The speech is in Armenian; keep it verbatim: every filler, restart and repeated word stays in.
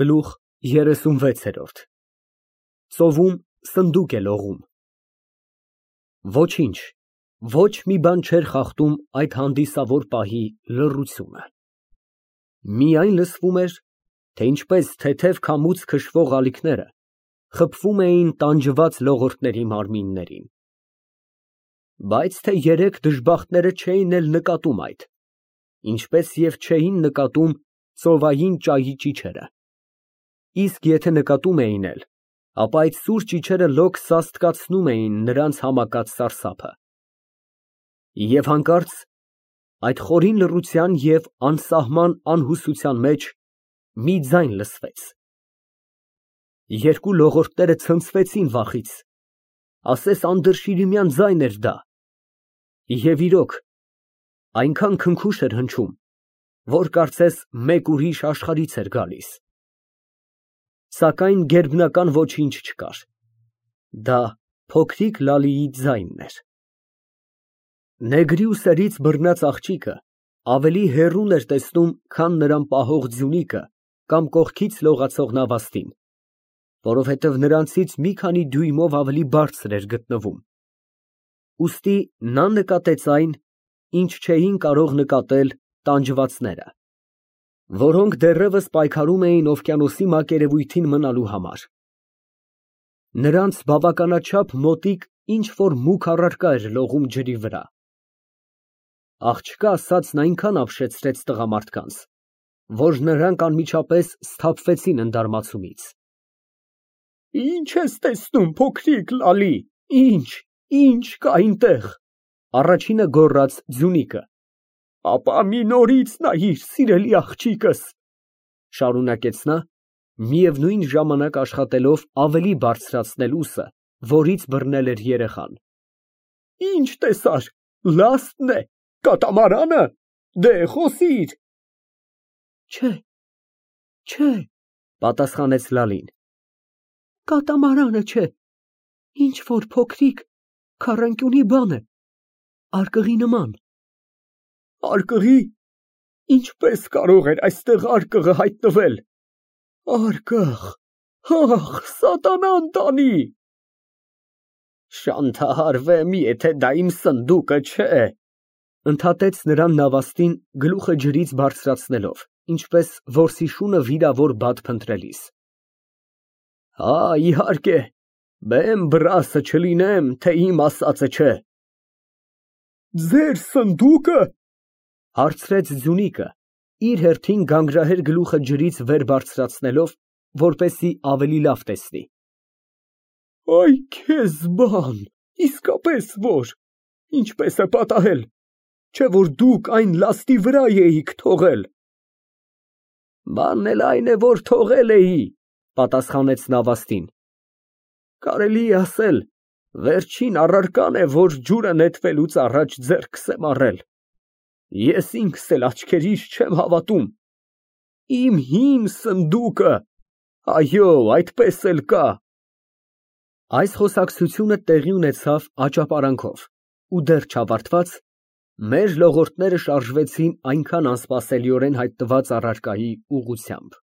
Գլուխ երեսունվեցերորդ Ծովում սնդուկ է լողում։ Ոչինչ, ոչ մի բան չէր խախտում այդ հանդիսավոր պահի լռությունը։ Միայն լսվում էր, թե ինչպես թեթև քամուց քշվող ալիքները խփվում էին տանջված լողորդների մարմիններին։ Բայց թե երեք դժբախտները չէին էլ նկատում այդ, ինչպես և չէին նկատում ծովային ճայի ճիչերը, իսկ եթե նկատում էին էլ, ապա այդ սուր ճիչերը լոկ սաստկացնում էին նրանց համակած սարսափը։ Եվ հանկարծ այդ խորին լռության և անսահման անհուսության մեջ մի ձայն լսվեց։ Երկու լողորդները ցնցվեցին վախից, ասես անդրշիրիմյան ձայն էր դա, և իրոք, այնքան քնքուշ էր հնչում, որ կարծես մեկ ուրիշ աշխարհից էր գալիս։ Սակայն գերբնական ոչինչ չկար, դա փոքրիկ Լալիի ձայնն էր։ Նեգրի ուսերից բռնած աղջիկը ավելի հեռուն էր տեսնում, քան նրան պահող Ձյունիկը կամ կողքից լողացող Նավաստին, որովհետև նրանցից մի քանի դյույմով ավելի բարձր էր գտնվում, ուստի նա նկատեց այն, ինչ չէին կարող նկատել տանջվածները, որոնք դեռևս պայքարում էին օվկիանոսի մակերևույթին մնալու համար։ Նրանց բավականաչափ մոտիկ ինչ֊որ մուգ առարկա էր լողում ջրի վրա։ Աղջկա ասածն այնքան ապշեցրեց տղամարդկանց, որ նրանք անմիջապես սթափվեցին ընդարմացումից։ Ի՞նչ ես տեսնում, փոքրիկ Լալի, ի՞նչ, ի՞նչ կա այնտեղ, առաջինը գոռաց Ձյունիկը։ Ապա մի նորից նայիր, սիրելի աղջիկս, շարունակեց նա, միևնույն ժամանակ աշխատելով ավելի բարձրացնել ուսը, որից բռնել էր երեխան։ Ինչ տեսար, լա՞ստն է, կատամարանը, դե խոսիր։ Չէ, չէ, պատասխանեց Լալին, կատամարանը չէ, ինչ֊որ փոքրիկ քառանկյունի բան է, արկղի նման։ Արկղի, ինչպես կարող էր այստեղ արկղը հայտնվել։ Արկղ, ախ, սատանան տանի։ Շանթահարվեմ, եթե դա իմ սնդուկը չէ, ընդհատեց նրան Նավաստին գլուխը ջրից բարձրացնելով, ինչպես որսի շունը վիրավոր բադ փնտրելիս։ Հա, իհարկե, բեմ բռասը չլինեմ, թե իմ ասածը չէ։ Ձեր սնդուկը, հարցրեց Ձյունիկը, իր հերթին գանգրահեր գլուխը ջրից վեր բարձրացնելով, որպեսզի ավելի լավ տեսնի։ Այ քեզ բան, իսկապես որ, ինչպես է պատահել, չէ որ դուք այն լաստի վրա էիք թողել։ Բանն էլ այն է, որ թողել էի, պատասխանեց Նավաստին։ Կարելի է ասել, վերջին առարկան է, որ ջուրը նետվելուց առաջ ձեռքս եմ առել։ Ես ինքս էլ աչքերիս չեմ հավատում։ Իմ հին սնդուկը, այո, այդպես էլ կա։ Այս խոսակցությունը տեղի ունեցավ աճապարանքով, ու դեռ չավարտված, մեր լողորդները շարժվեցին այնքան անսպասելիորեն հայտնված առարկայի ուղղությամբ։